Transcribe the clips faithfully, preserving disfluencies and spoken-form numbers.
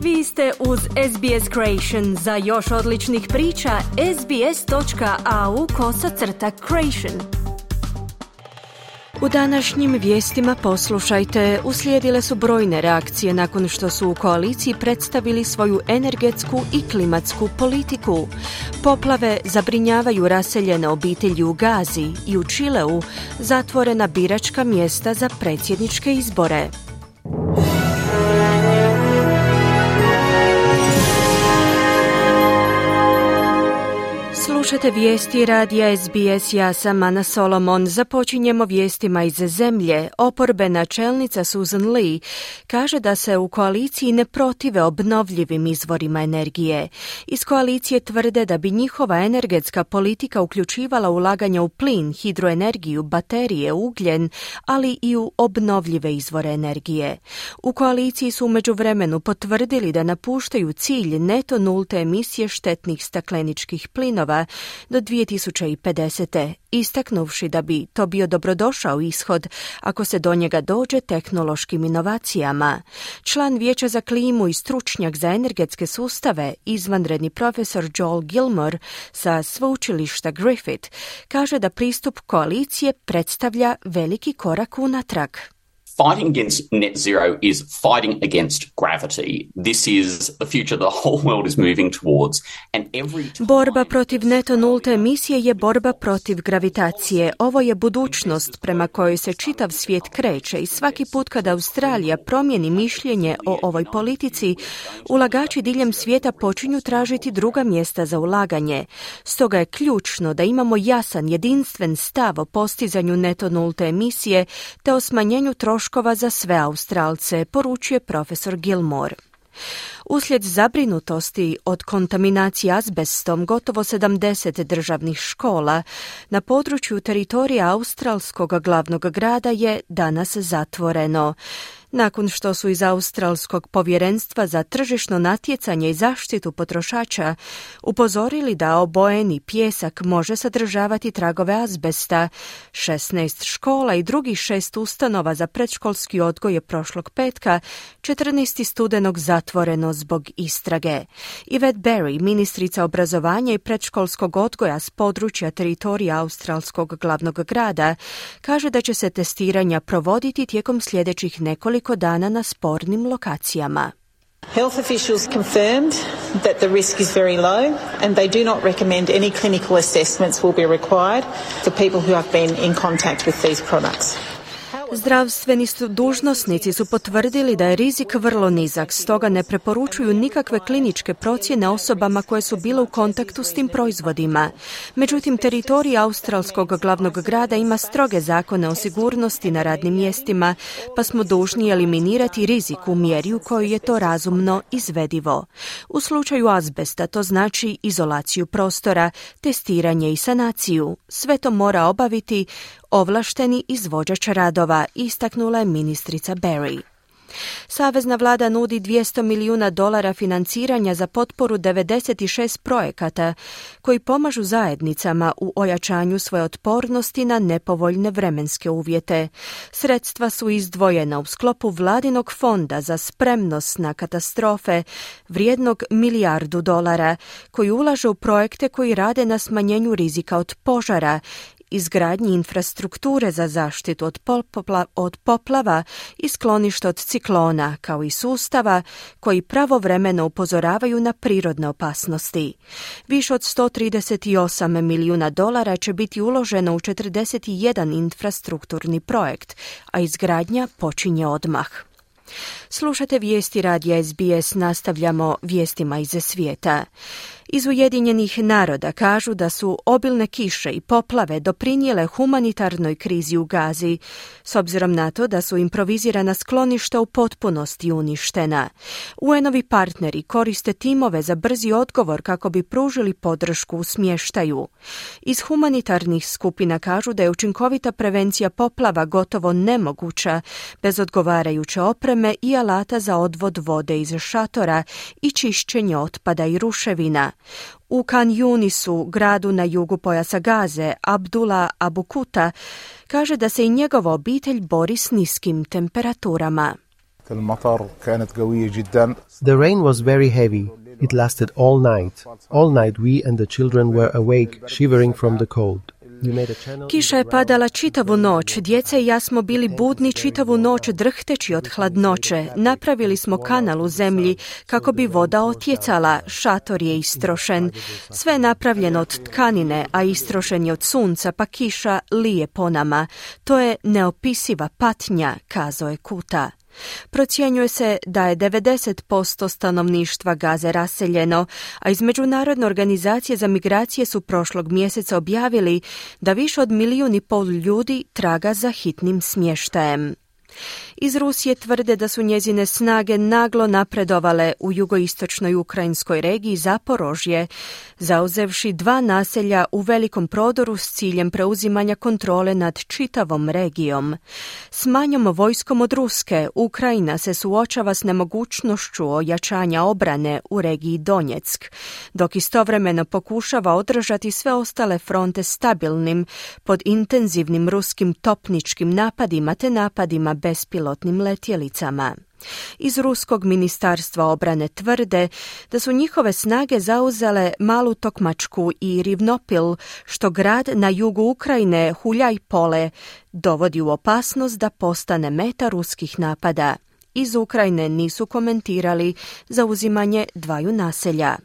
Vi ste uz S B S Creation. Za još odličnih priča, sbs.au kosacrta creation. U današnjim vijestima poslušajte, uslijedile su brojne reakcije nakon što su u koaliciji predstavili svoju energetsku i klimatsku politiku. Poplave zabrinjavaju raseljene obitelji u Gazi i u Čileu zatvorena biračka mjesta za predsjedničke izbore. Slušate vijesti radija S B S, ja sam Ana Solomon. Započinjemo vijestima iz zemlje. Oporbena čelnica Susan Lee kaže da se u koaliciji ne protive obnovljivim izvorima energije. Iz koalicije tvrde da bi njihova energetska politika uključivala ulaganja u plin, hidroenergiju, baterije, ugljen, ali i u obnovljive izvore energije. U koaliciji su u međuvremenu potvrdili da napuštaju cilj neto nulte emisije štetnih stakleničkih plinova do dvije tisuće pedeset. istaknuvši da bi to bio dobrodošao ishod ako se do njega dođe tehnološkim inovacijama. Član Vijeća za klimu i stručnjak za energetske sustave, izvanredni profesor Joel Gilmore sa sveučilišta Griffith, kaže da pristup koalicije predstavlja veliki korak unatrag. Fighting against net zero is fighting against gravity. This is the future the whole world is moving towards. And every time... Borba protiv neto nulte emisije je borba protiv gravitacije. Ovo je budućnost prema kojoj se čitav svijet kreće i svaki put kada Australija promijeni mišljenje o ovoj politici, ulagači diljem svijeta počinju tražiti druga mjesta za ulaganje. Stoga je ključno da imamo jasan, jedinstven stav o postizanju neto nulte emisije te o smanjenju troškova za sve Australce, poručuje profesor Gilmore. Uslijed zabrinutosti od kontaminacije azbestom, gotovo sedamdeset državnih škola na području teritorija australskog glavnog grada je danas zatvoreno. Nakon što su iz Australskog povjerenstva za tržišno natjecanje i zaštitu potrošača upozorili da obojeni pijesak može sadržavati tragove azbesta, šesnaest škola i drugih šest ustanova za predškolski odgoj je prošlog petka, četrnaestog studenog zatvoreno zbog istrage. Yvette Berry, ministrica obrazovanja i predškolskog odgoja s područja teritorija Australskog glavnog grada, kaže da će se testiranja provoditi tijekom sljedećih nekoliko dana na spornim lokacijama. Health officials confirmed that the risk is very low and they do not recommend any clinical assessments will be required for people who have been in contact with these products. Zdravstveni su dužnosnici su potvrdili da je rizik vrlo nizak, stoga ne preporučuju nikakve kliničke procjene osobama koje su bile u kontaktu s tim proizvodima. Međutim, teritorij australskog glavnog grada ima stroge zakone o sigurnosti na radnim mjestima, pa smo dužni eliminirati rizik u mjeri u kojoj je to razumno izvedivo. U slučaju azbesta to znači izolaciju prostora, testiranje i sanaciju. Sve to mora obaviti ovlašteni izvođač radova, istaknula je ministrica Berry. Savezna vlada nudi dvjesto milijuna dolara financiranja za potporu devedeset šest projekata koji pomažu zajednicama u ojačanju svoje otpornosti na nepovoljne vremenske uvjete. Sredstva su izdvojena u sklopu vladinog fonda za spremnost na katastrofe vrijednog milijardu dolara koji ulaže u projekte koji rade na smanjenju rizika od požara, izgradnji infrastrukture za zaštitu od, popla, od poplava i skloništa od ciklona, kao i sustava koji pravovremeno upozoravaju na prirodne opasnosti. Više od sto trideset osam milijuna dolara će biti uloženo u četrdeset jedan infrastrukturni projekt, a izgradnja počinje odmah. Slušate vijesti radija S B S, nastavljamo vijestima iz svijeta. Iz Ujedinjenih naroda kažu da su obilne kiše i poplave doprinijele humanitarnoj krizi u Gazi, s obzirom na to da su improvizirana skloništa u potpunosti uništena. U en-ovi partneri koriste timove za brzi odgovor kako bi pružili podršku u smještaju. Iz humanitarnih skupina kažu da je učinkovita prevencija poplava gotovo nemoguća bez odgovarajuće opreme i alata za odvod vode iz šatora i čišćenje otpada i ruševina. U Khan Yunisu, gradu na jugu pojasa Gaze, Abdullah Abu Kuta kaže da se i njegova obitelj bori s niskim temperaturama. The rain was very heavy. It lasted all night. All night we and the children were awake, shivering from the cold. Kiša je padala čitavu noć, djeca i ja smo bili budni čitavu noć drhteći od hladnoće. Napravili smo kanal u zemlji kako bi voda otjecala, šator je istrošen. Sve je napravljeno od tkanine, a istrošen je od sunca, pa kiša lije po nama. To je neopisiva patnja, kazao je Kuta. Procjenjuje se da je devedeset posto stanovništva Gaze raseljeno, a iz Međunarodne organizacije za migracije su prošlog mjeseca objavili da više od milijun i pol ljudi traga za hitnim smještajem. Iz Rusije tvrde da su njezine snage naglo napredovale u jugoistočnoj ukrajinskoj regiji Zaporožje, zauzevši dva naselja u velikom prodoru s ciljem preuzimanja kontrole nad čitavom regijom. S manjom vojskom od Ruske, Ukrajina se suočava s nemogućnošću ojačanja obrane u regiji Donjeck, dok istovremeno pokušava održati sve ostale fronte stabilnim pod intenzivnim ruskim topničkim napadima te napadima bespilotnim letjelicama. Iz Ruskog ministarstva obrane tvrde da su njihove snage zauzele Malu Tokmačku i Rivnopil, što grad na jugu Ukrajine, Huljaj-Pole, dovodi u opasnost da postane meta ruskih napada. Iz Ukrajine nisu komentirali zauzimanje dvaju naselja.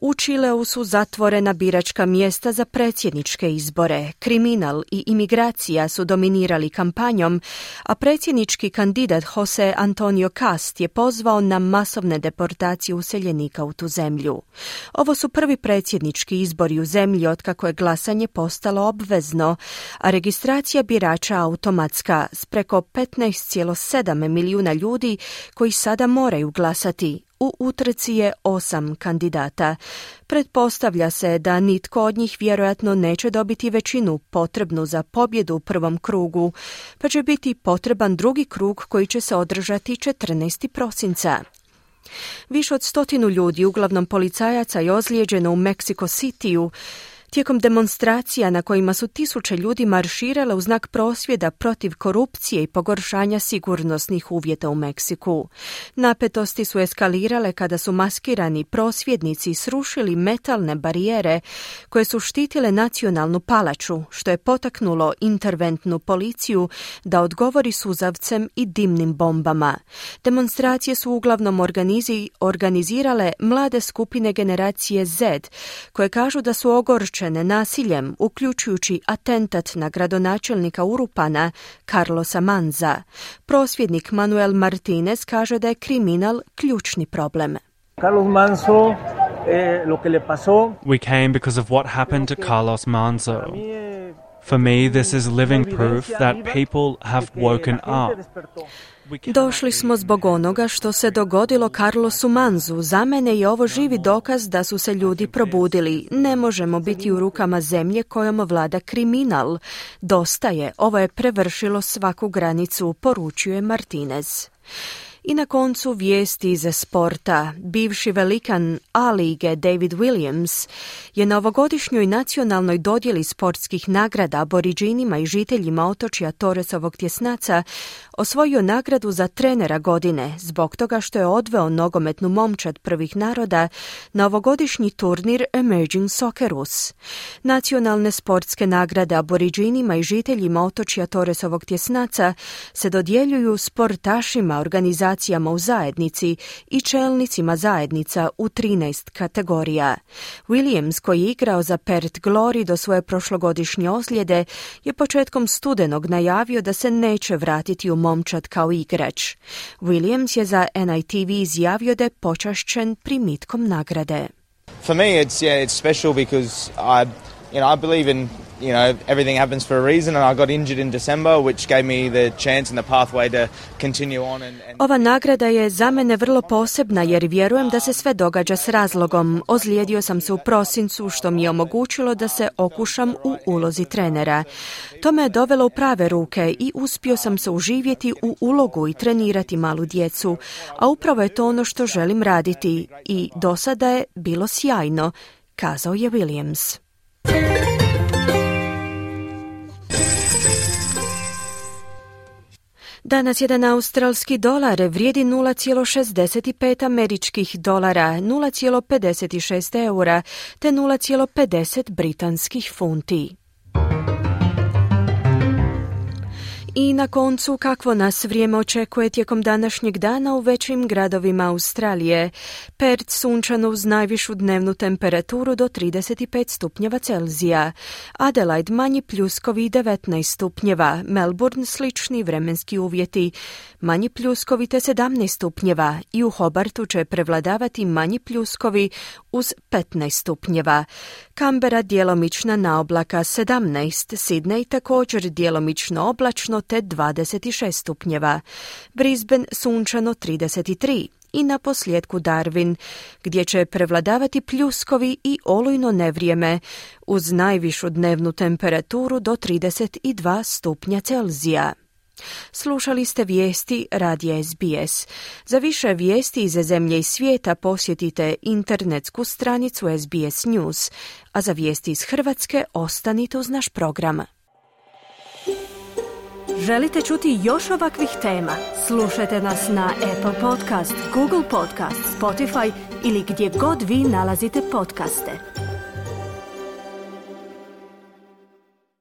U Čileu su zatvorena biračka mjesta za predsjedničke izbore. Kriminal i imigracija su dominirali kampanjom, a predsjednički kandidat Jose Antonio Cast je pozvao na masovne deportacije useljenika u tu zemlju. Ovo su prvi predsjednički izbori u zemlji otkako je glasanje postalo obvezno, a registracija birača automatska s preko petnaest zarez sedam milijuna ljudi koji sada moraju glasati. U utrci je osam kandidata. Pretpostavlja se da nitko od njih vjerojatno neće dobiti većinu potrebnu za pobjedu u prvom krugu, pa će biti potreban drugi krug koji će se održati četrnaestog prosinca. Više od stotinu ljudi, uglavnom policajaca, je ozlijeđeno u Mexico Cityu tijekom demonstracija na kojima su tisuće ljudi marširale u znak prosvjeda protiv korupcije i pogoršanja sigurnosnih uvjeta u Meksiku. Napetosti su eskalirale kada su maskirani prosvjednici srušili metalne barijere koje su štitile nacionalnu palaču, što je potaknulo interventnu policiju da odgovori suzavcem i dimnim bombama. Demonstracije su uglavnom organizi, organizirale mlade skupine generacije Z, koje kažu da su ogorčene nasiljem, uključujući atentat na gradonačelnika Urupana Carlosa Manza. Prosvjednik Manuel Martinez kaže da je kriminal ključni problem. Carlos Manzo, eh, lo que le pasó. We came because of what happened to Carlos Manzo. For me, this is living proof that people have woken up. Došli smo zbog onoga što se dogodilo Carlosu Manzu. Za mene je ovo živi dokaz da su se ljudi probudili. Ne možemo biti u rukama zemlje kojom vlada kriminal. Dosta je, ovo je prevršilo svaku granicu, poručuje Martinez. I na koncu vijesti iz sporta. Bivši velikan A-lige David Williams je na ovogodišnjoj nacionalnoj dodjeli sportskih nagrada Aboriđinima i žiteljima otočja Torresovog tjesnaca osvojio nagradu za trenera godine zbog toga što je odveo nogometnu momčad prvih naroda na ovogodišnji turnir Emerging Socceroos. Nacionalne sportske nagrade Aboriđinima i žiteljima otočja Torresovog tjesnaca se dodjeljuju sportašima, organizacijama u zajednici i čelnicima zajednica u trinaest kategorija. Williams, koji je igrao za Perth Glory do svoje prošlogodišnje ozljede, je početkom studenog najavio da se neće vratiti u momčad kao igrač. Williams je za N I T V izjavio da je počašćen primitkom nagrade. For me it's yeah it's special because I you know I believe in you know everything happens for a reason and I got injured in December which gave me the chance and the pathway to continue on and, and Ova nagrada je za mene vrlo posebna jer vjerujem da se sve događa s razlogom. Ozlijedio sam se u prosincu što mi je omogućilo da se okušam u ulozi trenera. To me je dovelo u prave ruke i uspio sam se uživjeti u ulogu i trenirati malu djecu, a upravo je to ono što želim raditi i do sada je bilo sjajno, kazao je Williams. Danas jedan australski dolar vrijedi nula zarez šezdeset pet američkih dolara, nula zarez pedeset šest eura te nula zarez pedeset britanskih funti. I na koncu, kakvo nas vrijeme očekuje tijekom današnjeg dana u većim gradovima Australije. Perth sunčano uz najvišu dnevnu temperaturu do trideset pet stupnjeva Celzija. Adelaide manji pljuskovi devetnaest stupnjeva. Melbourne slični vremenski uvjeti. Manji pljuskovi te sedamnaest stupnjeva. I u Hobartu će prevladavati manji pljuskovi uz petnaest stupnjeva. Canberra djelomična naoblaka sedamnaest. Sydney također djelomično oblačno te dvadeset šest stupnjeva. Brisbane sunčano trideset tri. I na posljedku Darwin, gdje će prevladavati pljuskovi i olujno nevrijeme, uz najvišu dnevnu temperaturu do trideset dva stupnja Celzija. Slušali ste vijesti radija S B S. Za više vijesti iz zemlje i svijeta posjetite internetsku stranicu S B S News, a za vijesti iz Hrvatske ostanite uz naš program. Želite čuti još ovakvih tema? Slušajte nas na Apple Podcast, Google Podcast, Spotify ili gdje god vi nalazite podcaste.